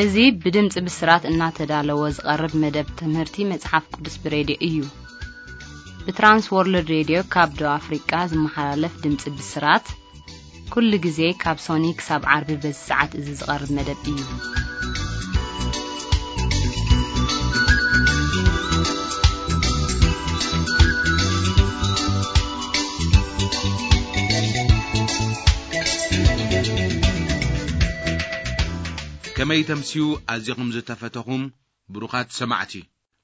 እዚ ብድምፂ ብስራት እናተዳለወ ዝቐርብ መደብ ትምህርቲ መጽሓፍ ቅዱስ ብሬድዮ እዩ። ብትራንስ ወርልድ ሬድዮ ካብ ደቡብ ኣፍሪቃ ዝመሓላለፍ ድምፂ ብስራት፣ ኩሉ ግዜ ካብ ሶኒ ክሳብ ዓርቢ በዚ ሰዓት እዚ ዝቐርብ መደብ እዩ። ከመይ ተምስዩ ኣዚኹም ዝተፈተኹም ብሩኻት ሰማዕቲ።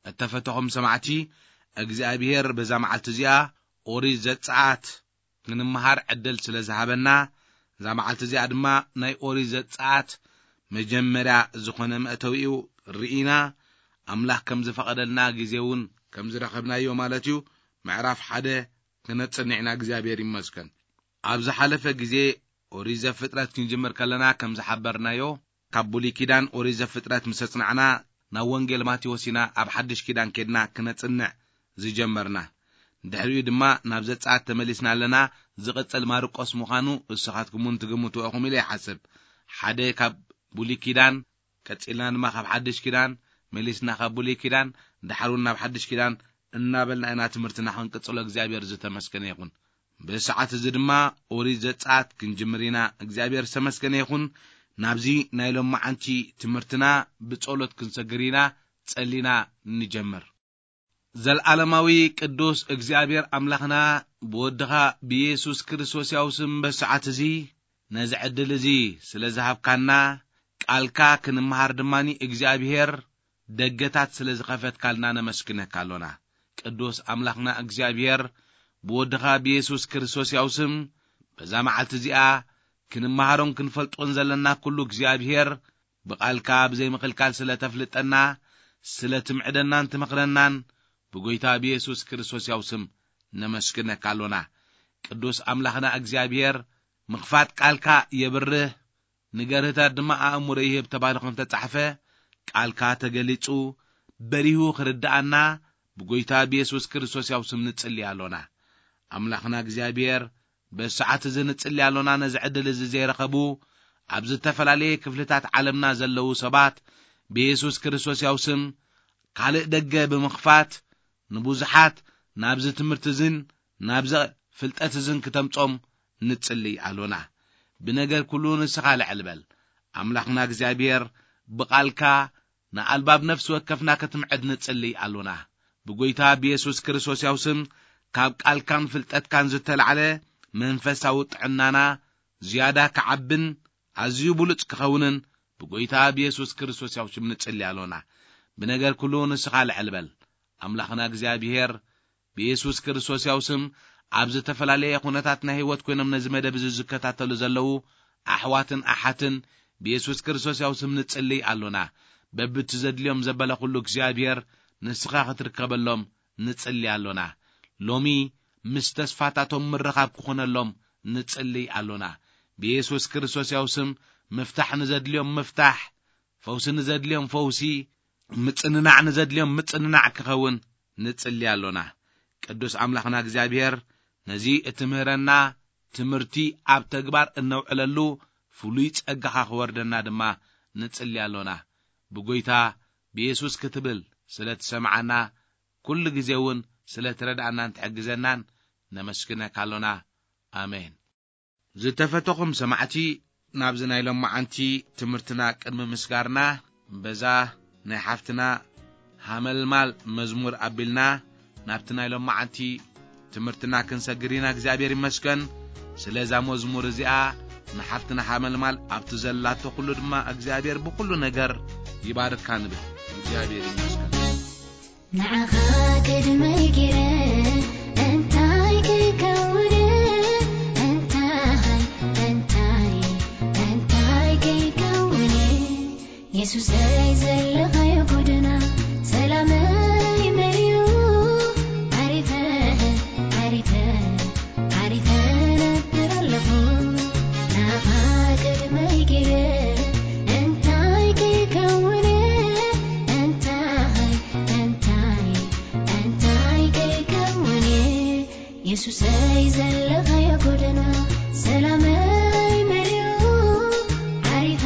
እተፈተኹም ሰማዕቲ፣ እግዚኣብሔር በዛ መዓልቲ እዚኣ ኦሪት ዘጸኣት ክንመሃር ዕድል ስለ ዝሃበና፣ እዛ መዓልቲ እዚኣ ድማ ናይ ኦሪት ዘጸኣት መጀመርያ ዝኾነ መእተዊኡ ርኢና፣ ኣምላኽ ከም ዝፈቐደልና፣ ግዜ እውን ከም ዝረኸብናዮ ማለት እዩ፣ ምዕራፍ ሓደ ክነጽንዕ ኢና። እግዚኣብሔር ይመስገን። ኣብ ዝሓለፈ ግዜ ኦሪት ዘፍጥረት ክንጅምር ከለና ከም ዝሓበርናዮ፣ ካብ ብሉይ ኪዳን ኦሪት ዘፍጥረት ምስ ኣጽናዕና፣ ናብ ወንጌል ማቴዎስ ኢና ኣብ ሓድሽ ኪዳን ኬድና ክነጽንዕ ዝጀመርና። ድሕሪኡ ድማ ናብ ዘጸኣት ተመሊስና ኣለና። ዝቕጽል ማርቆስ ምዃኑ እስኻትኩም እውን ትግምቱ ኢኹም ኢለ ይሓስብ። ሓደ ካብ ብሉይ ኪዳን፣ ቀጺልና ድማ ካብ ሓድሽ ኪዳን፣ መሊስና ካብ ብሉይ ኪዳን፣ ደሓር እውን ናብ ሓድሽ ኪዳን እናበልና ኢና ትምህርትና ክንቅጽሎ። እግዚኣብሔር ዝተመስገነ ይኹን። ብሰዓት እዚ ድማ ኦሪት ዘጸኣት ክንጅምር ኢና። እግዚኣብሔር ዝተመስገነ ይኹን። ናብዚ ናይ ሎማዓንቲ ትምህርትና ብጸሎት ክንሰግር ኢና። ጸሊና ንጀምር። ዘልዓለማዊ ቅዱስ እግዚኣብሔር ኣምላኽና፣ ብወድኻ ብየሱስ ክርስቶስ ያው ስም በሰዓት እዚ ነዚ ዕድል እዚ ስለ ዝሃብካና፣ ቃልካ ክንመሃር ድማኒ እግዚኣብሔር ደገታት ስለ ዝኸፈትካልና ነመስግነካ ኣሎና። ቅዱስ ኣምላኽና እግዚኣብሔር፣ ብወድኻ ብየሱስ ክርስቶስ ያው ስም በዛ መዓልቲ እዚኣ ክንመሃሮን ክንፈልጦን ዘለና ኩሉ እግዚኣብሔር ብቓልካ ብዘይ ምኽልካል ስለ ተፍልጠና፣ ስለ ትምዕደናን ትመኽረናን ብጎይታ ብየሱስ ክርስቶስ ያው ስም ነመስግነካ ኣሎና። ቅዱስ ኣምላኽና እግዚኣብሔር፣ ምኽፋት ቃልካ የብርህ፣ ንገርህታት ድማ ኣእምሮ ይህብ ተባሂሉ ከም ተጻሕፈ፣ ቃልካ ተገሊጹ በሪሁ ክርድኣና ብጎይታ ብየሱስ ክርስቶስ ያው ስም ንጽሊ ኣሎና። ኣምላኽና እግዚኣብሔር፣ በዚ ሰዓት እዚ ንጽሊ ኣሎና። ነዚ ዕድል እዚ ዘይረኸቡ ኣብ ዝተፈላለየ ክፍልታት ዓለምና ዘለዉ ሰባት ብየሱስ ክርስቶስ ያው ስም ካልእ ደገ ብምኽፋት ንብዙሓት ናብዚ ትምህርቲ እዝን ናብዚ ፍልጠት እዝን ክተምጾም ንጽሊ ኣሎና። ብነገር ኩሉ ንስኻ ልዕል በል። ኣምላኽና እግዚኣብሔር ብቓልካ ንኣልባብ ነፍሲ ወከፍና ክትምዕድ ንጽሊ ኣሎና። ብጎይታ ብየሱስ ክርስቶስ ያው ስም ካብ ቃልካን ፍልጠትካን ዝተላዕለ መንፈሳዊ ጥዕናና ዝያዳ ክዓብን ኣዝዩ ብሉጽ ክኸውንን ብጎይታ ብየሱስ ክርስቶስ ያው ስም ንጽሊ ኣሎና። ብነገር ኩሉ ንስኻ ልዕል በል። ኣምላኽና እግዚኣብሔር ብየሱስ ክርስቶስ ያው ስም ኣብ ዝተፈላለየ ኩነታት ናይ ህይወት ኮይኖም ነዚ መደብ እዚ ዝከታተሉ ዘለዉ ኣሕዋትን ኣሓትን ብየሱስ ክርስቶስ ያው ስም ንጽሊ ኣሎና። በብቲ ዘድልዮም ዘበለ ኩሉ እግዚኣብሔር ንስኻ ክትርከበሎም ንጽሊ ኣሎና። ሎሚ ምስ ተስፋታቶም ምርኻብ ክኾነሎም ንጽሊ ኣሎና። ብየሱስ ክርስቶስ ያው ስም ምፍታሕ ንዘድልዮም ምፍታሕ፣ ፈውሲ ንዘድልዮም ፈውሲ፣ ምጽንናዕ ንዘድልዮም ምጽንናዕ ክኸውን ንጽሊ ኣሎና። ቅዱስ ኣምላኽና እግዚኣብሔር ነዚ እትምህረና ትምህርቲ ኣብ ተግባር እነውዕለሉ ፍሉይ ጸጋኻ ክወርደና ድማ ንጽሊ ኣሎና። ብጎይታ ብየሱስ ክትብል ስለ ትሰምዓና፣ ኩሉ ግዜ እውን ስለ ትረድኣናን ትሕግዘናን ነመስግነካ ኣሎና። ኣሜን። ዝተፈተኹም ሰማዕቲ፣ ናብዚ ናይ ሎማዓንቲ ትምህርትና ቅድሚ ምስጋርና፣ በዛ ናይ ሓፍትና ሃመልማል መዝሙር ኣቢልና ናብቲ ናይ ሎማዓንቲ ትምህርትና ክንሰግር ኢና። እግዚኣብሔር ይመስገን። ስለ እዛ መዝሙር እዚኣ ንሓፍትና ሃመልማል ኣብቲ ዘላቶ ኩሉ ድማ እግዚኣብሔር ብኩሉ ነገር ይባርካ ንብል። እግዚኣብሔር ይመስገን። ንዓኻ ቅድመይ ገይረ እንታይ ክከውን? እንታይ፣ እንታይ፣ እንታይ ክከውን? የሱሰይ ዘለኻዮ ጎደና ሰላመይ መሊኡ። ዓሪፈ፣ ዓሪፈ፣ ዓሪፈ ነብር ኣለኹ። ናኻ ቅድመይ ገይረ እንታይ ክከውን? እንታይ፣ እንታይ፣ እንታይ ክከውን? የሱሰይ ዘለኻዮ ጎደና ሰላመይ መሊኡ። ዓሪፈ፣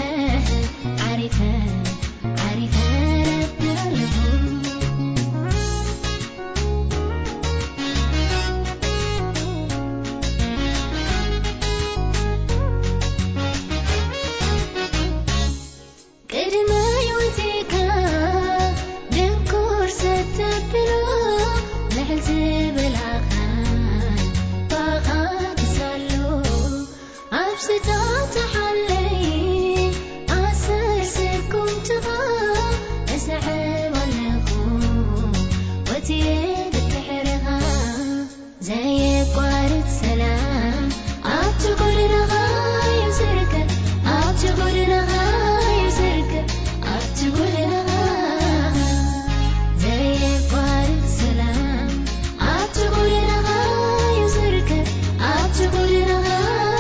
ዓሪፈ፣ ስታተሓለይ ኣሰር ስርኩም ትኻ እሰዕብ ኣለኹ ወትየ ድድሕርኻ ዘየቋርጽ ሰላም ኣብቲ ጎደናኻ እዩ ዝርከብ ኣብቲ ጎደናኻ እዩ ዝርከብ ኣብቲ ጎደናኻ ዘየቋርጽ ሰላም ኣብቲ ጎደናኻ እዩ ዝርከብ ኣብቲ ጎደናኻ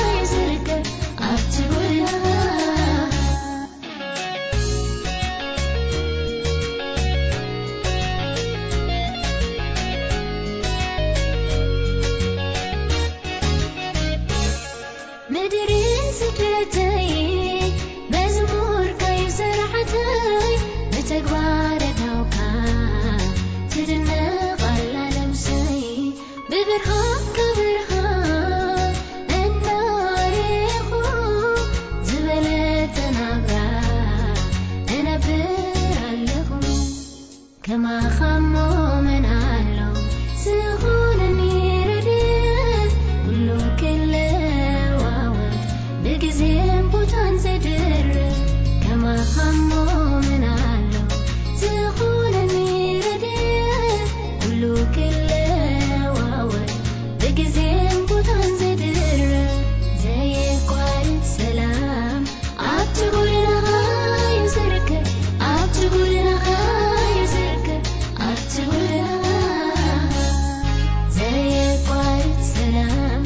እዩ ዝርከብ ኣብቲ ጎደናኻ ምድርን ስደተይ መዝሙርካዩ ስራሕተይ ብተግባር እታውካ ትድነቕ ኣላ ነብሰይ ብብርሃንካ ብርሃን እናረኹ ዝበለጸ ናብራ እነብር ኣለኹ ከማኻሞ መን ኣሎ ዝኾነኒ ረድኤት ኩሉ ክለዋወጥ ብግዜን ቦታን ዝድርት ከማኻሞ መን ኣሎ ዝኾነኒ ረድኤት ኩሉ ክለዋወጥ ብግዜን ቦታን ዝድርት ዘየቋርጽ ሰላም ኣብቲ ጎደናኻ እዩ ዝርከብ ኣብቲ ጎደናኻ እዩ ዝርከብ ኣብቲ ጎደናኻ ዘየቋርጽ ሰላም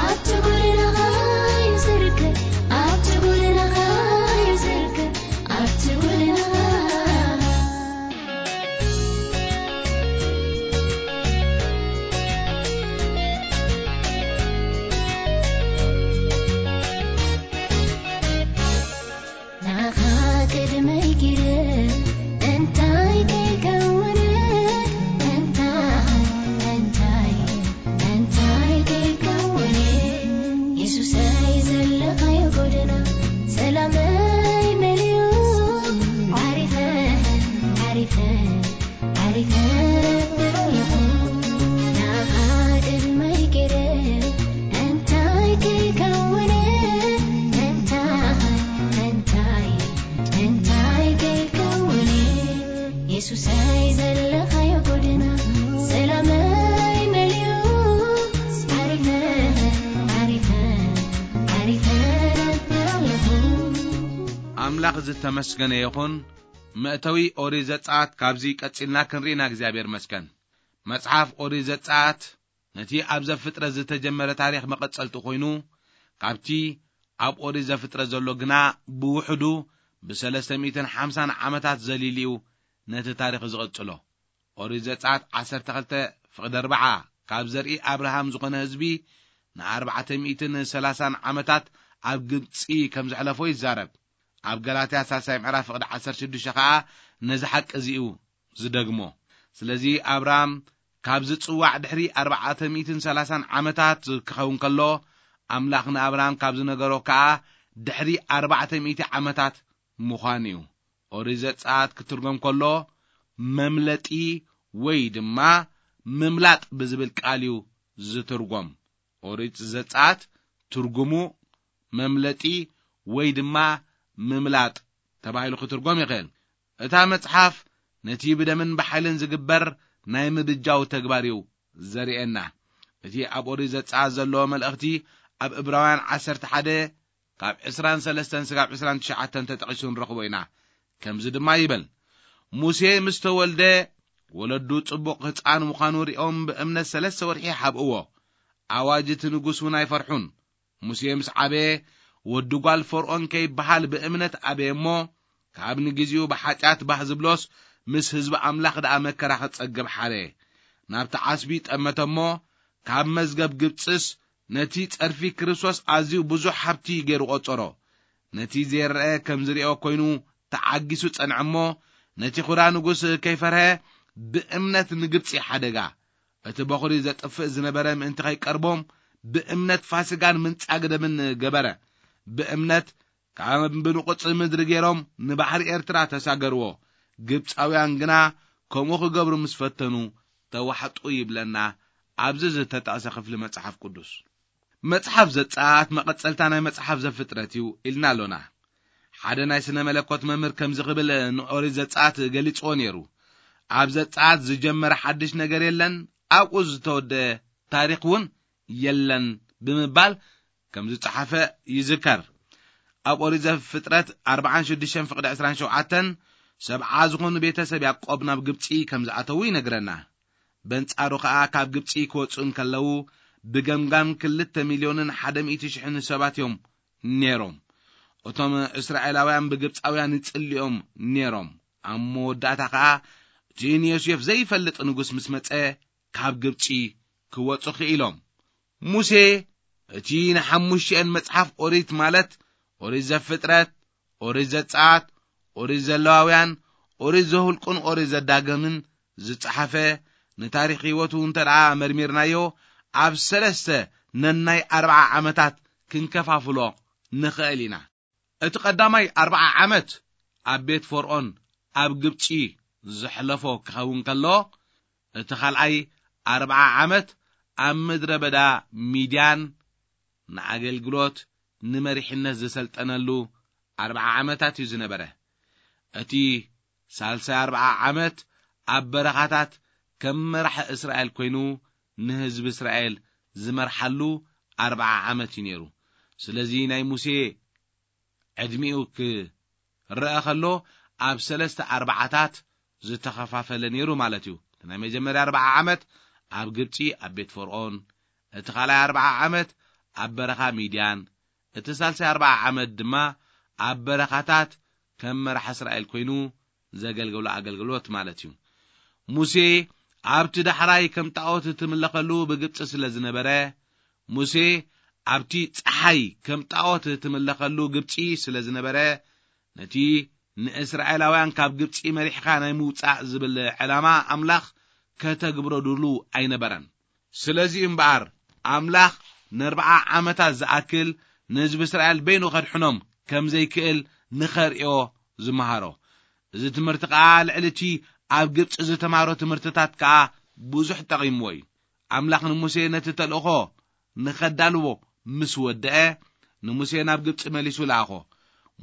ኣብቲ ጎደናኻ እዩ ዝርከብ ኣብቲ ጎደናኻ እዩ ዝርከብ ኣብቲ ጎደናኻ ንዓኻ ቅድመይ ጊረ እንታይ ከይከውን እንታይ እንታይ እንታይ ከይከውን የሱሰይ ዘለኻዮ ጎደና ሰላመይ መሊኡ ዓሪፈ ዓሪፈ ዓሪፈ ነብር ኣለኹ ንዓኻ ቅድመይ ጊረ እንታይ ከይከውን እንታይ እንታይ እንታይ ከይከውን የሱሰይ ዘለኻዮ ጎደና ሰላመይ መሊኡ ዓሪፈ ዓሪፈ ዓሪፈ ነብር ኣለኹ ኣምላኽ ዝተመስገነ ይኹን። መእተዊ ኦሪት ዘጸኣት ካብዚ ቀጺልና ክንርኢ ኢና እግዚኣብሔር መስገን። መጽሓፍ ኦሪት ዘጸኣት ነቲ ኣብ ዘፍጥረት ዝተጀመረ ታሪኽ መቐጸልቲ ኮይኑ ካብቲ ኣብ ኦሪት ዘፍጥረት ዘሎ ግና ብውሕዱ ብ350 ዓመታት ዘሊልዩ ነቲ ታሪኽ ዝቐጽሎ። ኦሪት ዘጸኣት ዓሰርተ ክልተ ፍቕዲ ኣርብዓ ካብ ዘርኢ ኣብርሃም ዝኾነ ህዝቢ ን430 ዓመታት ኣብ ግብጺ ከም ዘሕለፎ ይዛረብ። ኣብ ገላትያ ሳልሳይ ምዕራፍ ፍቕዲ ዓሰርተ ሽዱሽተ ከኣ ነዚ ሓቂ እዚኡ ዝደግሞ። ስለዚ ኣብርሃም ካብ ዝጽዋዕ ድሕሪ ኣርባዕተ ሚእትን ሰላሳን ዓመታት ክኸውን ከሎ ኣምላኽ ንኣብርሃም ካብ ዝነገሮ ከኣ ድሕሪ ኣርባዕተ ሚእቲ ዓመታት ምዃን እዩ። ኦሪት ዘጸኣት ክትርጎም ከሎ መምለጢ ወይ ድማ ምምላጥ ብዝብል ቃል እዩ ዝትርጎም። ኦሪት ዘጸኣት ትርጉሙ መምለጢ ወይ ድማ ምምላጥ ተባሂሉ ክትርጎም ይኽእል። እታ መጽሓፍ ነቲ ብደምን ብሓይልን ዝግበር ናይ ምብጃው ተግባር እዩ ዘርእየና። እቲ ኣብ ኦሪት ዘጸኣት ዘሎ መልእኽቲ ኣብ ዕብራውያን ዓሰርተ ሓደ ካብ ዕስራን ሰለስተን ስጋብ ዕስራን ትሽዓተን ተጠቒሱ ንረኽቦ ኢና። ከምዚ ድማ ይብል፣ ሙሴ ምስ ተወልደ ወለዱ ጽቡቕ ህጻን ምዃኑ ሪኦም ብእምነት ሰለስተ ወርሒ ሓብእዎ። ኣዋጅ እቲ ንጉስ እውን ኣይፈርሑን። ሙሴ ምስ ዓበየ ወዲ ጓል ፈርኦን ከይበሃል ብእምነት ኣበየ እሞ ካብ ንግዜኡ ብሓጢኣት ባህ ዝብሎስ ምስ ህዝቢ ኣምላኽ ደኣ መከራ ክጸግብ ሓረ። ናብቲ ዓስቢ ጠመተ እሞ ካብ መዝገብ ግብጽስ ነቲ ጸርፊ ክርስቶስ ኣዝዩ ብዙሕ ሃብቲ ገይሩ ቖጸሮ። ነቲ ዘይረአ ከም ዝሪኦ ኮይኑ ተዓጊሱ ጸንዐ እሞ ነቲ ኹራ ንጉስ ከይፈርሀ ብእምነት ንግብጺ ሓደጋ። እቲ በኹሪ ዘጥፍእ ዝነበረ ምእንቲ ኸይቀርቦም ብእምነት ፋሲጋን ምንጻግ ደምን ገበረ። ብእምነት ካብ ብንቑጽ ምድሪ ገይሮም ንባሕሪ ኤርትራ ተሳገርዎ። ግብጻውያን ግና ከምኡ ክገብሩ ምስ ፈተኑ ተዋሕጡ ይብለና ኣብዚ ዝተጠቕሰ ክፍሊ መጽሓፍ ቅዱስ። መጽሓፍ ዘጸኣት መቐጸልታ ናይ መጽሓፍ ዘፍጥረት እዩ ኢልና ኣሎና። ሓደ ናይ ስነ መለኮት መምህር ከምዚ ክብል ንኦሪት ዘጸኣት ገሊጽዎ ነይሩ። ኣብ ዘጸኣት ዝጀመረ ሓድሽ ነገር የለን፣ ኣብኡ ዝተወደ ታሪኽ እውን የለን ብምባል ከም ዝጸሓፈ ይዝከር። ኣብ ኦሪት ዘፍጥረት ኣርባዓን ሽዱሽተን ፍቕዲ ዕስራን ሸውዓተን ሰብዓ ዝኾኑ ቤተሰብ ያዕቆብ ናብ ግብጺ ከም ዝኣተዉ ይነግረና። በንጻሩ ኸኣ ካብ ግብጺ ክወጹ እንከለዉ ብገምጋም ክልተ ሚልዮንን ሓደ ሚእቲ ሽሕን ሰባት እዮም ነይሮም። እቶም እስራኤላውያን ብግብጻውያን ይጽልኦም ነይሮም። ኣብ መወዳእታ ኸኣ እቲ ንዮሴፍ ዘይፈልጥ ንጉስ ምስ መጸ ካብ ግብጺ ክወጹ ክኢሎም። ሙሴ እቲ ንሓሙሽቲኤን መጽሓፍ ኦሪት ማለት ኦሪት ዘፍጥረት፣ ኦሪት ዘጸኣት፣ ኦሪት ዘለዋውያን፣ ኦሪት ዘሁልቁን ኦሪት ዘዳግምን ዝጸሓፈ ንታሪኽ ህይወቱ እንተ ደኣ መርሚርናዮ ኣብ ሰለስተ ነናይ ኣርብዓ ዓመታት ክንከፋፍሎ ንኽእል ኢና። እቲ ቀዳማይ ኣርብዓ ዓመት ኣብ ቤት ፈርኦን ኣብ ግብጺ ዘሕለፎ ክኸውን ከሎ፣ እቲ ካልኣይ ኣርብዓ ዓመት ኣብ ምድረ በዳ ሚድያን ንኣገልግሎት ንመሪሕነት ዝሰልጠነሉ ኣርብዓ ዓመታት እዩ ዝነበረ። እቲ ሳልሳይ ኣርብዓ ዓመት ኣብ በረኻታት ከም መራሒ እስራኤል ኮይኑ ንህዝቢ እስራኤል ዝመርሓሉ ኣርብዓ ዓመት እዩ ነይሩ። ስለዚ ናይ ሙሴ ዕድሚኡ ክረአ ከሎ ኣብ ሰለስተ ኣርባዓታት ዝተኸፋፈለ ነይሩ ማለት እዩ። እቲ ናይ መጀመርያ ኣርብዓ ዓመት ኣብ ግብጺ ኣብ ቤት ፈርኦን፣ እቲ ካልኣይ ኣርብዓ ዓመት ኣብ በረኻ ሚድያን፣ እቲ ሳልሳይ ኣርብዓ ዓመት ድማ ኣብ በረኻታት ከም መራሕ እስራኤል ኮይኑ ዘገልገሎ ኣገልግሎት ማለት እዩ። ሙሴ ኣብቲ ዳሕራይ ከም ጣዖት ትምለኸሉ ብግብጺ ስለ ዝነበረ፣ ሙሴ ኣብቲ ጸሓይ ከም ጣዖት ትምለኸሉ ግብጺ ስለ ዝነበረ፣ ነቲ ንእስራኤላውያን ካብ ግብጺ መሪሕኻ ናይ ምውጻእ ዝብል ዕላማ ኣምላኽ ከተግብሮ ድሉ ኣይነበረን። ስለዚ እምበኣር ኣምላኽ ንኣርብዓ ዓመታት ዝኣክል ንህዝቢ እስራኤል በይኑ ከድሕኖም ከም ዘይክእል ንኸርእዮ ዝመሃሮ። እዚ ትምህርቲ ከኣ ልዕሊ እቲ ኣብ ግብጺ ዝተማህሮ ትምህርትታት ከኣ ብዙሕ ጠቒምዎ እዩ። ኣምላኽ ንሙሴ ነቲ ተልእኾ ንኸዳልዎ ምስ ወደአ፣ ንሙሴ ናብ ግብጺ መሊሱ ለኣኾ።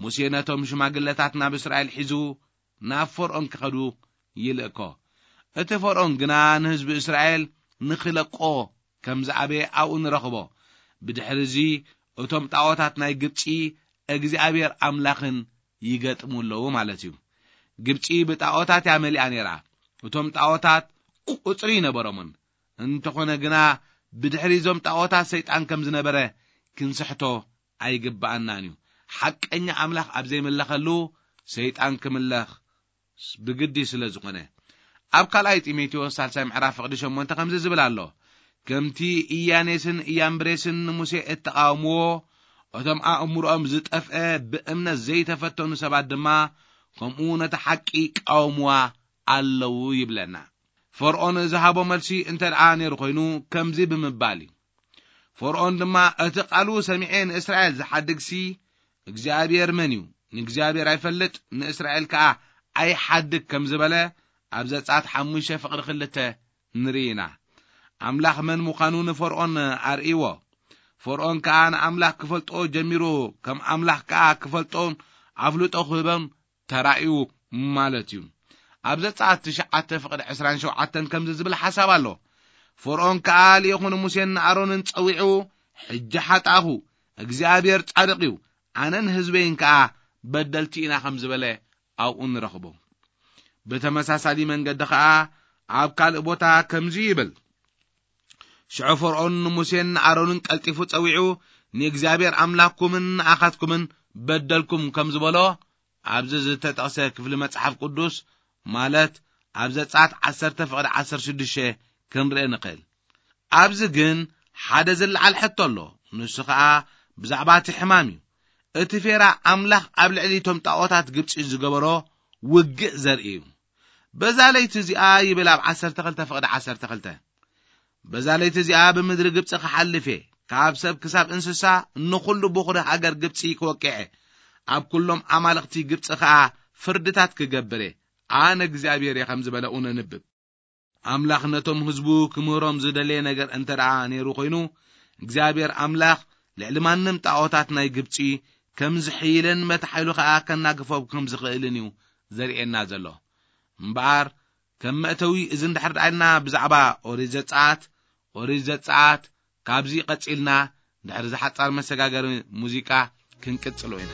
ሙሴ ነቶም ሽማግለታት ናብ እስራኤል ሒዙ ናብ ፈርኦን ክኸዱ ይልእኮ። እቲ ፈርኦን ግና ንህዝቢ እስራኤል ንኽለቆ ከም ዝኣበየ ኣብኡ ንረኽቦ። ብድሕሪ እዚ እቶም ጣዖታት ናይ ግብጺ እግዚኣብሔር ኣምላኽን ይገጥሙ ኣለዉ ማለት እዩ። ግብጺ ብጣዖታት እያ መሊኣ ነይራ። እቶም ጣዖታት ቁጽሪ ይነበሮምን። እንተኾነ ግና ብድሕሪ እዞም ጣዖታት ሰይጣን ከም ዝነበረ ክንስሕቶ ኣይግብኣናን እዩ። ሓቀኛ ኣምላኽ ኣብ ዘይምለኸሉ ሰይጣን ክምለኽ ብግዲ ስለ ዝኾነ። ኣብ ካልኣይ ጢሞቴዎስ ሳልሳይ ምዕራፍ ፍቕዲ ሸሞንተ ከምዚ ዝብል ኣሎ፣ ከምቲ ኢያኔስን ኢያምብሬስን ንሙሴ እተቓወምዎ፣ እቶም ኣእምሮኦም ዝጠፍአ ብእምነት ዘይተፈተኑ ሰባት ድማ ከምኡ ነቲ ሓቂ ይቃወምዋ ኣለዉ ይብለና። ፈርኦን ዝሃቦ መልሲ እንተ ደኣ ነይሩ ኮይኑ ከምዚ ብምባል እዩ። ፈርኦን ድማ እቲ ቃሉ ሰሚዔ ንእስራኤል ዝሓድግሲ እግዚኣብሔር መን እዩ? ንእግዚኣብሔር ኣይፈልጥ ንእስራኤል ከኣ ኣይሓድግ ከም ዝበለ ኣብ ዘጸኣት ሓሙሽተ ፍቕዲ ክልተ ንርኢ ኢና። ኣምላኽ መን ምዃኑ ንፈርኦን ኣርእይዎ። ፈርኦን ከኣ ንኣምላኽ ክፈልጦ ጀሚሩ፣ ከም ኣምላኽ ከኣ ክፈልጦን ኣፍልጦ ክህቦን ተራእዩ ማለት እዩ። ኣብ ዘጸኣት ትሽዓተ ፍቕዲ ዕስራን ሸውዓተን ከምዚ ዝብል ሓሳብ ኣሎ። ፈርኦን ከኣ ልኢኹ ንሙሴን ንኣሮንን ጸዊዑ፣ ሕጂ ሓጣእኹ፣ እግዚኣብሔር ጻድቕ እዩ፣ ኣነን ህዝበይን ከኣ በደልቲ ኢና ከም ዝበለ ኣብኡ ንረኽቦ። ብተመሳሳሊ መንገዲ ከኣ ኣብ ካልእ ቦታ ከምዚ ይብል፣ ሽዑ ፈርኦን ንሙሴን ንኣሮንን ቀልጢፉ ጸዊዑ፣ ንእግዚኣብሔር ኣምላኽኩምን ንኣኻትኩምን በደልኩም ከም ዝበሎ፣ ኣብዚ ዝተጠቕሰ ክፍሊ መጽሓፍ ቅዱስ፣ ማለት ኣብ ዘጸኣት ዓሰርተ ፍቕዲ ዓሰርተ ሽዱሽተ ክንርኢ ንኽእል። ኣብዚ ግን ሓደ ዝለዓል ሕቶ ኣሎ። ንሱ ኸኣ ብዛዕባ እቲ ሕማም እዩ። እቲ ፌራ ኣምላኽ ኣብ ልዕሊ እቶም ጣዖታት ግብጺ ዝገበሮ ውግእ ዘርኢ እዩ። በዛ ለይቲ እዚኣ ይብል ኣብ ዓሰርተ ክልተ ፍቕዲ ዓሰርተ ክልተ፣ በዛ ለይቲ እዚኣ ብምድሪ ግብጺ ክሓልፍ እየ፣ ካብ ሰብ ክሳብ እንስሳ ንኹሉ ብኹሪ ሃገር ግብጺ ክወቅዕ እየ፣ ኣብ ኩሎም ኣማልኽቲ ግብጺ ኸኣ ፍርድታት ክገብር እየ፣ ኣነ እግዚኣብሔር እየ ከም ዝበለ እውን ነንብብ። ኣምላኽ ነቶም ህዝቡ ክምህሮም ዝደለየ ነገር እንተ ደኣ ነይሩ ኮይኑ፣ እግዚኣብሔር ኣምላኽ ልዕሊ ማንም ጣዖታት ናይ ግብጺ ከም ዝሕይልን መታሓይሉ ኸኣ ከናግፎም ከም ዝኽእልን እዩ ዘርእየና ዘሎ። እምበኣር ከም መእተዊ እዚ እንድሕር ደኣ ኢልና ብዛዕባ ኦሪት ዘጸኣት፣ ኦሪት ዘጸኣት ካብዚ ቀጺልና ድሕሪ ዝሓጻር መሰጋገሪ ሙዚቃ ክንቅጽሎ ኢና።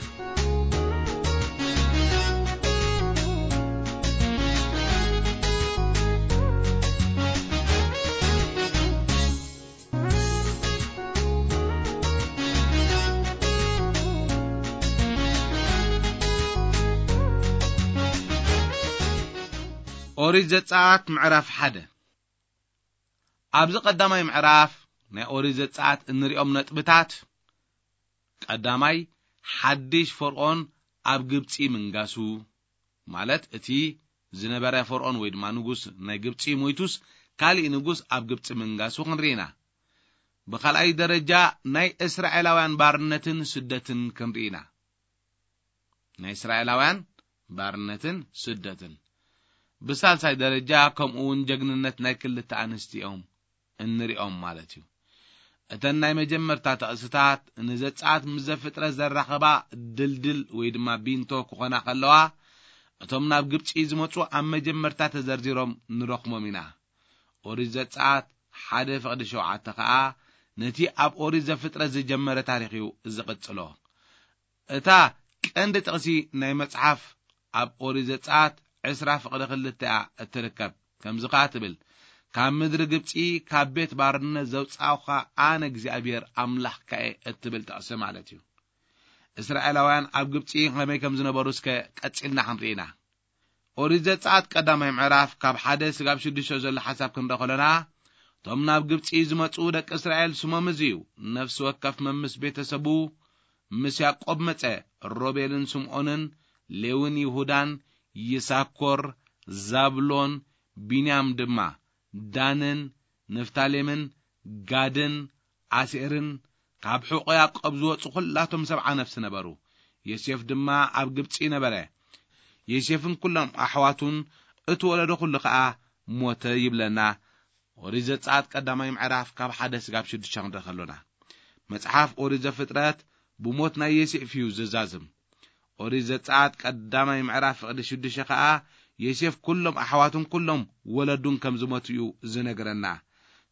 ኦሪት ዘጸኣት ምዕራፍ ሓደ። ኣብዚ ቀዳማይ ምዕራፍ ናይ ኦሪት ዘጸኣት እንሪኦም ነጥብታት፣ ቀዳማይ፣ ሓድሽ ፈርኦን ኣብ ግብጺ ምንጋሱ፣ ማለት እቲ ዝነበረ ፈርኦን ወይ ድማ ንጉስ ናይ ግብጺ ሞይቱስ ካሊእ ንጉስ ኣብ ግብጺ ምንጋሱ ክንርኢ ኢና። ብኻልኣይ ደረጃ ናይ እስራኤላውያን ባርነትን ስደትን ክንርኢ ኢና። ናይ እስራኤላውያን ባርነትን ስደትን። ብሳልሳይ ደረጃ ከምኡ እውን ጀግንነት ናይ ክልተ ኣንስቲ እዮም እንሪኦም ማለት እዩ። እተን ናይ መጀመርታ ጥቕስታት ንዘጸኣት ምስ ዘፍጥረት ዘራኸባ ድልድል ወይ ድማ ቢንቶ ክኾና ከለዋ፣ እቶም ናብ ግብጺ ዝመጹ ኣብ መጀመርታ ተዘርዚሮም ንረኽቦም ኢና። ኦሪት ዘጸኣት ሓደ ፍቕዲ ሸውዓተ ኸኣ ነቲ ኣብ ኦሪት ዘፍጥረት ዝጀመረ ታሪኽ እዩ ዝቕጽሎ። እታ ቀንዲ ጥቕሲ ናይ መጽሓፍ ኣብ ኦሪት ዘጸኣት ዕስራ ፍቕዲ ክልተ እያ እትርከብ። ከምዚ ኸኣ ትብል፣ "ካብ ምድሪ ግብጺ፣ ካብ ቤት ባርነት ዘውጻእኹኻ ኣነ እግዚኣብሔር ኣምላኽካ እየ" እትብል ጥቕሲ ማለት እዩ። እስራኤላውያን ኣብ ግብጺ ከመይ ከም ዝነበሩ እስከ ቀጺልና ክንርኢ ኢና። ኦሪት ዘጸኣት ቀዳማይ ምዕራፍ ካብ ሓደ ስጋብ ሽዱሽተ ዘሎ ሓሳብ ክንርኢ ከለና፣ እቶም ናብ ግብጺ ዝመጹ ደቂ እስራኤል ስሞም እዚ እዩ። ነፍሲ ወከፍ መምስ ቤተሰቡ ምስ ያዕቆብ መጸ፣ ሮቤልን ስምዖንን፣ ሌውን ይሁዳን፣ ይሳኮር፣ ዛብሎን፣ ቢንያም ድማ፣ ዳንን፣ ንፍታሌምን፣ ጋድን፣ ኣሴርን፣ ካብ ሕቖ ያዕቆብ ዝወጹ ኹላቶም ሰብዓ ነፍሲ ነበሩ። ዮሴፍ ድማ ኣብ ግብጺ ነበረ። ዮሴፍን ኩሎም ኣሕዋቱን፣ እቲ ወለዶ ኩሉ ኸኣ ሞተ ይብለና። ኦሪት ዘጸኣት ቀዳማይ ምዕራፍ ካብ ሓደ ስጋብ ሽዱሽተ ክንርኢ ከሎና፣ መጽሓፍ ኦሪት ዘፍጥረት ብሞት ናይ ዮሴፍ እዩ ዝዛዝም። ኦሪት ዘጸኣት ቀዳማይ ምዕራፍ ፍቕዲ ሽዱሽተ ኸኣ፣ ዮሴፍ ኩሎም ኣሕዋቱን ኩሎም ወለዱን ከም ዝሞቱ እዩ ዝነግረና።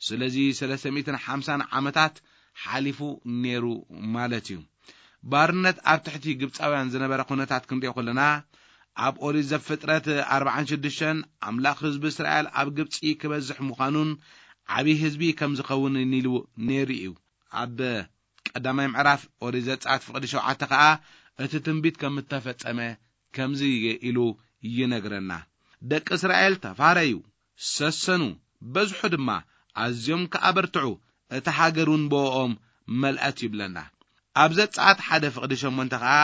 ስለዚ ሰለስተ ሚእትን ሓምሳን ዓመታት ሓሊፉ ነይሩ ማለት እዩ። ባርነት ኣብ ትሕቲ ግብጻውያን ዝነበረ ኩነታት ክንሪኦ ከለና፣ ኣብ ኦሪት ዘፍጥረት ኣርባዓን ሽዱሽተን ኣምላኽ ህዝቢ እስራኤል ኣብ ግብጺ ክበዝሕ ምዃኑን ዓብዪ ህዝቢ ከም ዝኸውንን ኢሉ ነይሩ እዩ። ኣብ ቀዳማይ ምዕራፍ ኦሪት ዘጸኣት ፍቕዲ ሸውዓተ ኸኣ እቲ ትንቢት ከም እተፈጸመ ከምዚ ኢሉ ይነግረና። "ደቂ እስራኤል ተፋረዩ፣ ሰሰኑ፣ በዝሑ ድማ፣ ኣዝዮም ከኣ በርትዑ፣ እታ ሃገር እውን ብእኦም መልኣት" ይብለና። ኣብ ዘጸኣት ሓደ ፍቕዲ ሸሞንተ ኸኣ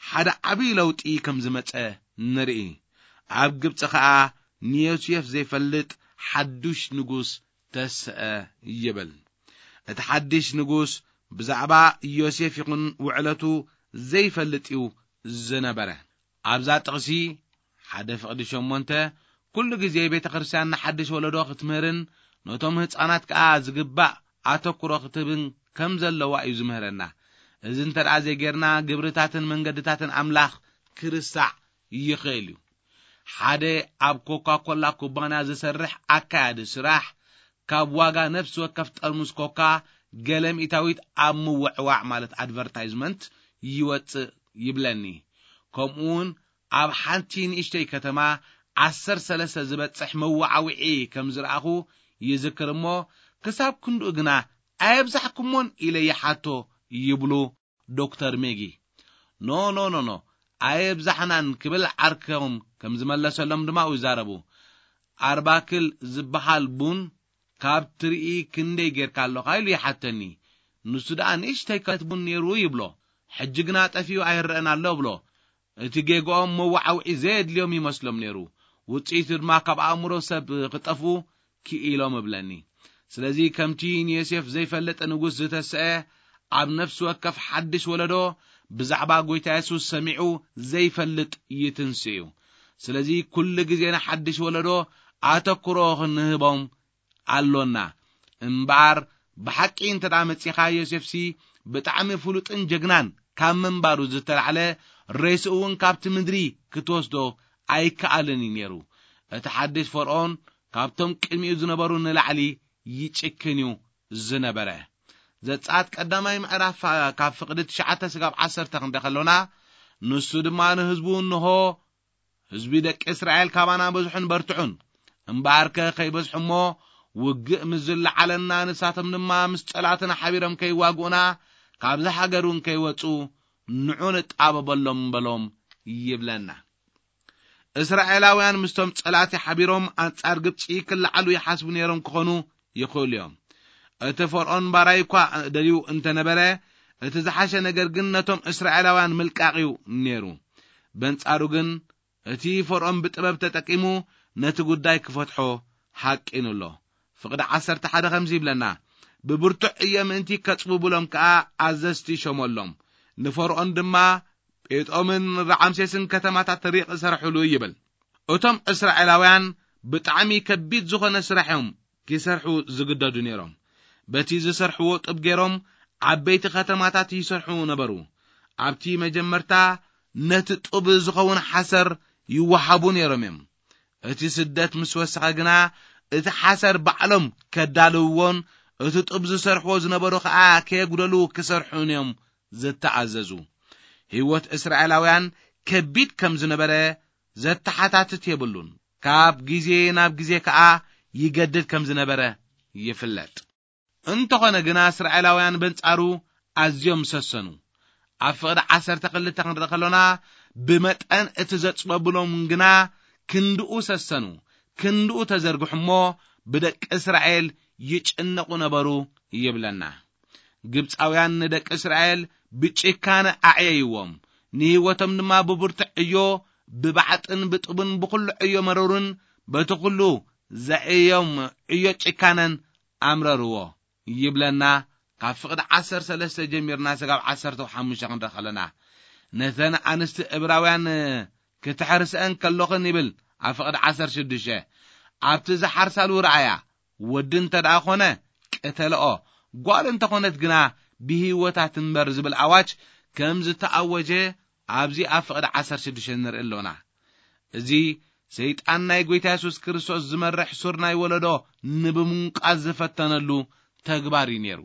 ሓደ ዓብዪ ለውጢ ከም ዝመጸ ንርኢ። ኣብ ግብጺ ኸኣ ንዮሴፍ ዘይፈልጥ ሓዱሽ ንጉስ ተስአ ይብል። እቲ ሓድሽ ንጉስ ብዛዕባ ዮሴፍ ይኹን ውዕለቱ ዘይፈልጥ እዩ ዝነበረ። ኣብዛ ጥቕሲ ሓደ ፍቕዲ ሸሞንተ፣ ኩሉ ግዜ ቤተ ክርስቲያን ንሓድሽ ወለዶ ክትምህርን ነቶም ህጻናት ከኣ ዝግባእ ኣተኩሮ ክትህብን ከም ዘለዋ እዩ ዝምህረና። እዚ እንተ ደኣ ዘይጌርና፣ ግብርታትን መንገድታትን ኣምላኽ ክርሳዕ ይኽእል እዩ። ሓደ ኣብ ኮካ ኮላ ኩባንያ ዝሰርሕ ኣካያዲ ስራሕ፣ ካብ ዋጋ ነፍሲ ወከፍ ጠርሙስ ኮካ ገለ ሚእታዊት ኣብ ምውዕዋዕ፣ ማለት ኣድቨርታይዝመንት፣ ይወጽእ ይብለኒ። ከምኡውን ኣብ ሓንቲ ንእሽተይ ከተማ ዓሰርተ ሰለስተ ዝበጽሕ መወዓውዒ ከም ዝረኣኹ ይዝክር እሞ፣ "ክሳብ ክንድኡ ግና ኣየብዛሕኩሞን?" ኢለ ይሓቶ ይብሉ ዶክተር ሜጊ። "ኖ፣ ኖ፣ ኖ፣ ኖ፣ ኣየብዛሕናን" ክብል ዓርኮም ከም ዝመለሰሎም ድማ ይዛረቡ። ኣርባክል ዝበሃል ቡን ካብ ትርኢ ክንደይ ጌርካ ኣለኻ ኢሉ ይሓተኒ። ንሱ ደኣ ንእሽተይ ከት ቡን ነይሩ ይብሎ። ሕጂ ግና ጠፊኡ ኣይረአን ኣሎ እብሎ። እቲ ጌግኦም መወዓውዒ ዘየድልዮም ይመስሎም ነይሩ። ውጽኢቱ ድማ ካብ ኣእምሮ ሰብ ክጠፍኡ ክኢሎም እብለኒ። ስለዚ ከምቲ ንዮሴፍ ዘይፈልጥ ንጉስ ዝተስአ፣ ኣብ ነፍሲ ወከፍ ሓድሽ ወለዶ ብዛዕባ ጐይታ የሱስ ሰሚዑ ዘይፈልጥ ይትንስእ እዩ። ስለዚ ኩሉ ግዜ ንሓድሽ ወለዶ ኣተኩሮ ክንህቦም ኣሎና። እምበኣር ብሓቂ እንተ ደኣ መጺኻ፣ ዮሴፍሲ ብጣዕሚ ፍሉጥን ጀግናን ካብ ምንባሩ ዝተላዕለ፣ ሬስኡ እውን ካብቲ ምድሪ ክትወስዶ ኣይከኣልን እዩ ነይሩ። እቲ ሓድሽ ፈርዖን ካብቶም ቅድሚኡ ዝነበሩ ንላዕሊ ይጭክን እዩ ዝነበረ። ዘጸኣት ቀዳማይ ምዕራፍ፣ ካብ ፍቕዲ ትሽዓተ ስጋብ ዓሰርተ ክንደ ከሎና፣ ንሱ ድማ ንህዝቡ፣ እንሆ፣ ህዝቢ ደቂ እስራኤል ካባና በዝሑን በርትዑን፣ እምበኣርከ ከይበዝሑ እሞ፣ ውግእ ምስ ዝለዓለና፣ ንሳቶም ድማ ምስ ጸላእትና ሓቢሮም ከይዋግኡና፣ ካብዛ ሃገር እውን ከይወጹ፣ ንዑ ንጣበበሎም በሎም ይብለና። እስራኤላውያን ምስቶም ጸላእቲ ሓቢሮም ኣንጻር ግብጺ ክለዓሉ ይሓስቡ ነይሮም ክኾኑ ይኽእሉ እዮም። እቲ ፈርዖን ባራይ እኳ ደልዩ እንተነበረ፣ እቲ ዝሓሸ ነገር ግን ነቶም እስራኤላውያን ምልቃቕ እዩ ነይሩ። በንጻሩ ግን እቲ ፈርዖን ብጥበብ ተጠቂሙ ነቲ ጉዳይ ክፈትሖ ሓቂኑ ኣሎ። ፍቕዲ ዓሰርተ ሓደ ከምዚ ይብለና፣ ብብርቱዕ እየ ምእንቲ ከጽብብሎም ከኣ ኣዘዝቲ ሸመሎም። ንፈርዖን ድማ ጴጦምን ራዓምሴስን ከተማታት ሪቕ ሰርሕሉ ይብል። እቶም እስራኤላውያን ብጣዕሚ ከቢድ ዝኾነ ስራሕ እዮም ክሰርሑ ዝግደዱ ነይሮም። በቲ ዝሰርሕዎ ጡብ ገይሮም ዓበይቲ ከተማታት ይሰርሑ ነበሩ። ኣብቲ መጀመርታ ነቲ ጡብ ዝኸውን ሓሰር ይወሃቡ ነይሮም እዮም። እቲ ስደት ምስ ወሰኸ ግና እቲ ሓሰር ባዕሎም ከዳልውዎን እቲ ጡብ ዝሰርሕዎ ዝነበሩ ኸኣ ከየጉደሉ ክሰርሑን እዮም ዝተኣዘዙ። ህይወት እስራኤላውያን ከቢድ ከም ዝነበረ ዘተሓታትት የብሉን። ካብ ግዜ ናብ ግዜ ከኣ ይገድድ ከም ዝነበረ ይፍለጥ። እንተኾነ ግና እስራኤላውያን በንጻሩ ኣዝዮም ሰሰኑ። ኣብ ፍቕዲ ዓሰርተ ክልተ ክንርኢ ከሎና፣ ብመጠን እቲ ዘጽበብሎም ግና ክንድኡ ሰሰኑ፣ ክንድኡ ተዘርግሑ እሞ ብደቂ እስራኤል ይጭነቑ ነበሩ ይብለና። ግብጻውያን ንደቂ እስራኤል ብጭካነ ኣዕየይዎም፣ ንህይወቶም ድማ ብብርቱዕ ዕዮ፣ ብባዕጥን ብጡብን ብኹሉ ዕዮ መረሩን በቲ ኩሉ ዘዕዮም ዕዮ ጭካነን ኣምረርዎ ይብለና። ካብ ፍቕዲ ዓሰርተ ሰለስተ ጀሚርና ስጋብ ዓሰርተ ሓሙሽተ ክንርኢ ከለና፣ ነተን ኣንስቲ እብራውያን ክትሕርስአን ከለኽን ይብል ኣብ ፍቕዲ ዓሰርተ ሽዱሽተ፣ ኣብቲ ዝሓርሳሉ ረኣያ፣ ወዲ እንተ ደኣ ኾነ ቅተልኦ፣ ጓል እንተ ኾነት ግና ብህይወታ ትንበር ዝብል ኣዋጅ ከም ዝተኣወጀ ኣብዚ ኣብ ፍቕዲ ዓሰርተ ሽዱሽተ ንርኢ ኣሎና። እዚ ሰይጣን ናይ ጐይታ የሱስ ክርስቶስ ዝመርሕ ሱር ናይ ወለዶ ንምምንቃዝ ዝፈተነሉ ተግባር እዩ ነይሩ።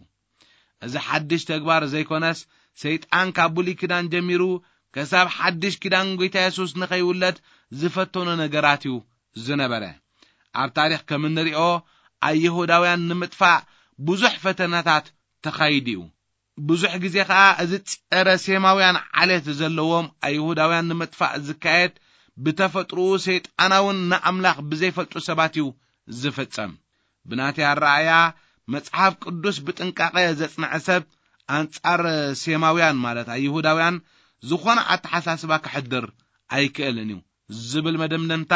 እዚ ሓድሽ ተግባር ዘይኮነስ፣ ሰይጣን ካብ ብሉይ ኪዳን ጀሚሩ ክሳብ ሓድሽ ኪዳን ጐይታ የሱስ ንኸይውለድ ዝፈተኖ ነገራት እዩ ዝነበረ። ኣብ ታሪኽ ከም እንሪኦ፣ ኣይሁዳውያን ንምጥፋእ ብዙሕ ፈተነታት ተኻይዱ እዩ። ብዙሕ ግዜ ኸኣ እዚ ጸረ ሴማውያን ዓሌት ዘለዎም ኣይሁዳውያን ንምጥፋእ ዝካየድ፣ ብተፈጥሮኡ ሰይጣናውን ንኣምላኽ ብዘይፈልጡ ሰባት እዩ ዝፍጸም። ብናተይ ኣረኣእያ፣ መጽሓፍ ቅዱስ ብጥንቃቐ ዘጽንዐ ሰብ ኣንጻር ሴማውያን፣ ማለት ኣይሁዳውያን፣ ዝኾነ ኣተሓሳስባ ከሕድር ኣይክእልን እዩ ዝብል መደምደምታ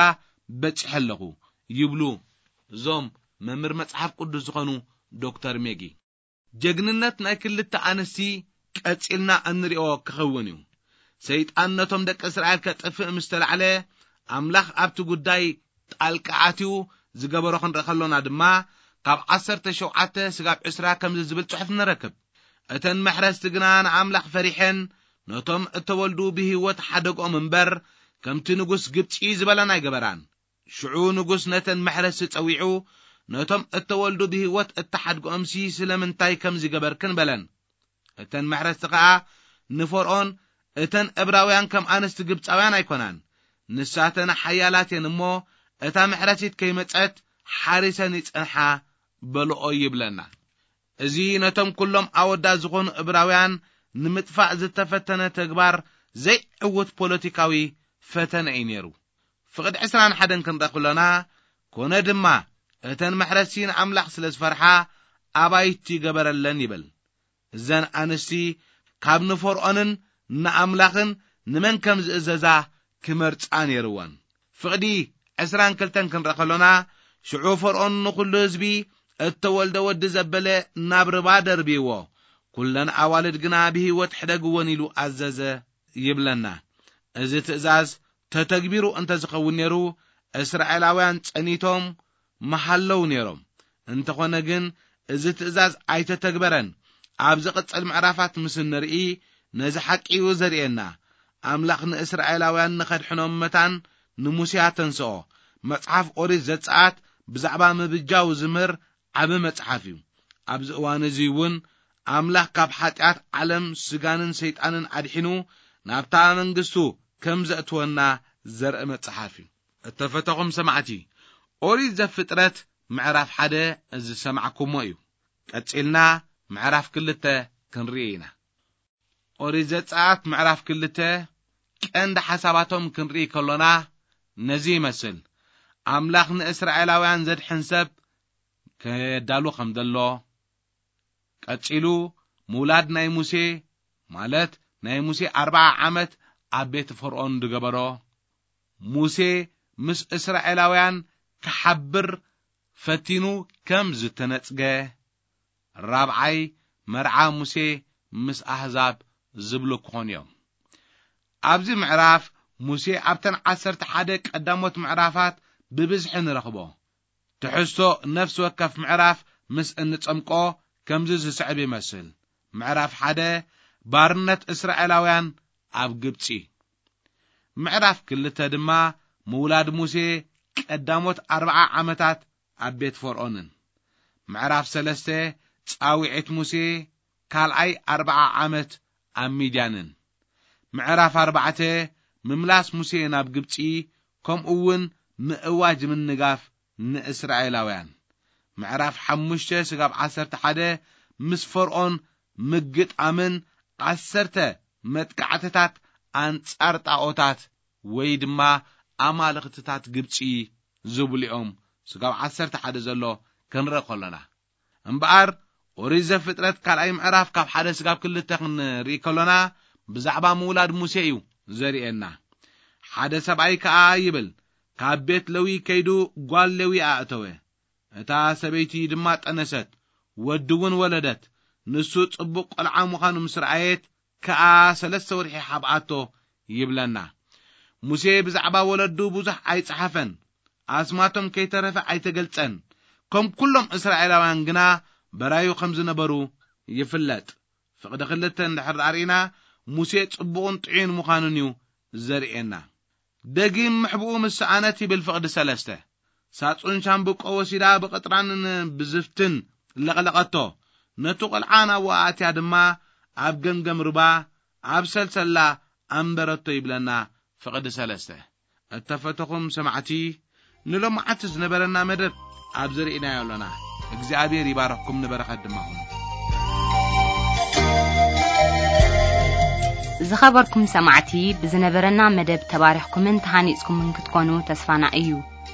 በጺሐ ኣለኹ ይብሉ እዞም መምህር መጽሓፍ ቅዱስ ዝኾኑ ዶክተር ሜጊ። ጀግንነት ናይ ክልተ ኣንስቲ ቀጺልና እንሪኦ ክኸውን እዩ። ሰይጣን ነቶም ደቂ እስራኤል ከጥፍእ ምስ ተላዕለ፣ ኣምላኽ ኣብቲ ጉዳይ ጣልቃ ኣትዩ ዝገበሮ ክንርኢ ከሎና ድማ፣ ካብ ዓሰርተ ሸውዓተ ስጋብ ዕስራ ከምዚ ዝብል ጽሑፍ ንረክብ። እተን መሕረስቲ ግና ንኣምላኽ ፈሪሐን፣ ነቶም እተወልዱ ብህይወት ሓደግኦም እምበር፣ ከምቲ ንጉስ ግብጺ ዝበለን ኣይገበራን። ሽዑ ንጉስ ነተን መሕረስቲ ጸዊዑ፣ ነቶም እተወልዱ ብህይወት እተሓድግኦምሲ ስለምንታይ ከምዚ ገበርክን? በለን። እተን መሕረስቲ ኸኣ ንፈርኦን፣ እተን እብራውያን ከም ኣንስቲ ግብጻውያን ኣይኮናን፣ ንሳተን ሓያላት እየን እሞ፣ እታ መሕረሲት ከይመጸት ሓሪሰን ይጸንሓ በልኦ ይብለና። እዚ ነቶም ኩሎም ኣወዳት ዝኾኑ እብራውያን ንምጥፋእ ዝተፈተነ ተግባር ዘይዕውት ፖለቲካዊ ፈተነ እዩ ነይሩ። ፍቕዲ ዕስራን ሓደን ክንረኽብ ከሎና፣ ኮነ ድማ እተን መሕረሲ ንኣምላኽ ስለ ዝፈርሓ ኣባይቲ ገበረለን ይብል። እዘን ኣንስቲ ካብ ንፈርኦንን ንኣምላኽን ንመን ከም ዝእዘዛ ክመርጻ ነይርወን። ፍቕዲ ዕስራን ክልተን ክንርኢ ከሎና፣ ሽዑ ፈርኦን ንኹሉ ህዝቢ እተወልደ ወዲ ዘበለ ናብ ርባ ደርብይዎ፣ ኩለን ኣዋልድ ግና ብህይወት ሕደግወን ኢሉ ኣዘዘ ይብለና። እዚ ትእዛዝ ተተግቢሩ እንተ ዝኸውን ነይሩ፣ እስራኤላውያን ጸኒቶም ምሃለዉ ነይሮም። እንተኾነ ግን፣ እዚ ትእዛዝ ኣይተተግበረን። ኣብ ዝቕጽል ምዕራፋት ምስ እንርኢ፣ ነዚ ሓቂ እዩ ዘርእየና። ኣምላኽ ንእስራኤላውያን ንኸድሕኖም መታን ንሙሴ ኣተንስኦ። መጽሓፍ ኦሪት ዘጸኣት ብዛዕባ ምብጃው ዝምህር ዓቢ መጽሓፍ እዩ። ኣብዚ እዋን እዚ እውን ኣምላኽ ካብ ሓጢኣት ዓለም ስጋንን ሰይጣንን ኣድሒኑ ናብታ መንግስቱ ከም ዘእትወና ዘርኢ መጽሓፍ እዩ። እተፈተኹም ሰማዕቲ፣ ኦሪት ዘፍጥረት ምዕራፍ ሓደ ዝሰማዕኩሞ እዩ። ቀጺልና ምዕራፍ ክልተ ክንርኢ ኢና። ኦሪት ዘጸኣት ምዕራፍ ክልተ ቀንዲ ሓሳባቶም ክንርኢ ከሎና ነዚ ይመስል። ኣምላኽ ንእስራኤላውያን ዘድሕን ሰብ ከየዳሉ ከም ዘሎ፣ ቀጺሉ ምውላድ ናይ ሙሴ፣ ማለት ናይ ሙሴ ኣርብዓ ዓመት ኣብ ቤት ፈርዖን ዝገበሮ፣ ሙሴ ምስ እስራኤላውያን ክሓብር ፈቲኑ ከም ዝተነጽገ፣ ራብዓይ መርዓ ሙሴ ምስ ኣህዛብ ዝብሉ ክኾኑ እዮም። ኣብዚ ምዕራፍ ሙሴ ኣብተን ዓሰርተ ሓደ ቀዳሞት ምዕራፋት ብብዝሒ ንረኽቦ። ትሕዝቶ ነፍሲ ወከፍ ምዕራፍ ምስ እንጸምቆ ከምዚ ዝስዕብ ይመስል። ምዕራፍ ሓደ፣ ባርነት እስራኤላውያን ኣብ ግብጺ። ምዕራፍ ክልተ ድማ ምውላድ ሙሴ ቀዳሞት ኣርብዓ ዓመታት ኣብ ቤት ፈርዖንን። ምዕራፍ ሰለስተ፣ ጻውዒት ሙሴ ካልኣይ ኣርብዓ ዓመት ኣብ ሚድያንን። ምዕራፍ ኣርባዕተ፣ ምምላስ ሙሴ ናብ ግብጺ፣ ከምኡ እውን ምእዋጅ ምንጋፍ ንእስራኤላውያን። ምዕራፍ ሓሙሽተ ስጋብ ዓሰርተ ሓደ፣ ምስ ፈርዖን ምግጣምን ዓሰርተ መጥቃዕትታት ኣንጻር ጣኦታት ወይ ድማ ኣማልኽትታት ግብጺ ዝብሉ እዮም። ስጋብ ዓሰርተ ሓደ ዘሎ ክንርኢ ከሎና። እምበኣር ኦሪት ዘፍጥረት ካልኣይ ምዕራፍ ካብ ሓደ ስጋብ ክልተ ክንርኢ ከሎና ብዛዕባ ምውላድ ሙሴ እዩ ዘርእየና። ሓደ ሰብኣይ ከኣ ይብል፣ ካብ ቤት ለዊ ከይዱ ጓል ሌዊ ኣእተወ። እታ ሰበይቲ ድማ ጠነሰት፣ ወዲ እውን ወለደት። ንሱ ጽቡቕ ቆልዓ ምዃኑ ምስ ረኣየት ከኣ ሰለስተ ወርሒ ሓብኣቶ ይብለና። ሙሴ ብዛዕባ ወለዱ ብዙሕ ኣይጸሓፈን፣ ኣስማቶም ከይተረፈ ኣይተገልጸን። ከም ኩሎም እስራኤላውያን ግና በራዩ ከም ዝነበሩ ይፍለጥ። ፍቕዲ ክልተ እንድሕር ደኣ ርኢና፣ ሙሴ ጽቡቕን ጥዑይን ምዃኑን እዩ ዘርእየና። ደጊም ምሕብኡ ምስ ሰኣነት ይብል ፍቕዲ ሰለስተ። ሳጹን ሻምብቆ ወሲዳ ብቕጥራንን ብዝፍትን ለቕለቐቶ። ነቲ ቖልዓ ናብኡ ኣእትያ ድማ ኣብ ገምገም ሩባ ኣብ ሰልሰላ ኣንበረቶ ይብለና ፍቕዲ ሰለስተ። እተፈተኹም ሰማዕቲ፣ ንሎማዓንቲ ዝነበረና መደብ ኣብ ዝርኢናዮ ኣሎና። እግዚኣብሔር ይባረኽኩም፣ ንበረኸት ድማ ኹኑ። ዝኸበርኩም ሰማዕቲ፣ ብዝነበረና መደብ ተባሪኽኩምን ተሃኒጽኩምን ክትኮኑ ተስፋና እዩ።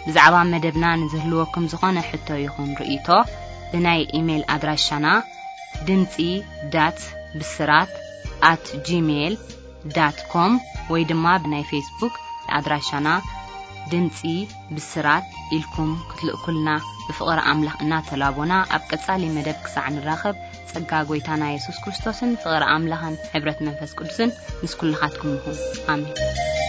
ብዛዕባ መደብና ንዝህልወኩም ዝኾነ ሕቶ ይኹን ርእይቶ፣ ብናይ ኢሜይል ኣድራሻና ድምጺ ዳት ብስራት ኣት ጂሜይል ዳት ኮም ወይ ድማ ብናይ ፌስቡክ ኣድራሻና ድምጺ ብስራት ኢልኩም ክትልእኩልና ብፍቕሪ ኣምላኽ እናተላቦና፣ ኣብ ቀጻሊ መደብ ክሳዕ ንራኸብ፣ ጸጋ ጐይታና የሱስ ክርስቶስን ፍቕሪ ኣምላኽን ሕብረት መንፈስ ቅዱስን ምስ ኩልኻትኩም ይኹን። ኣሜን።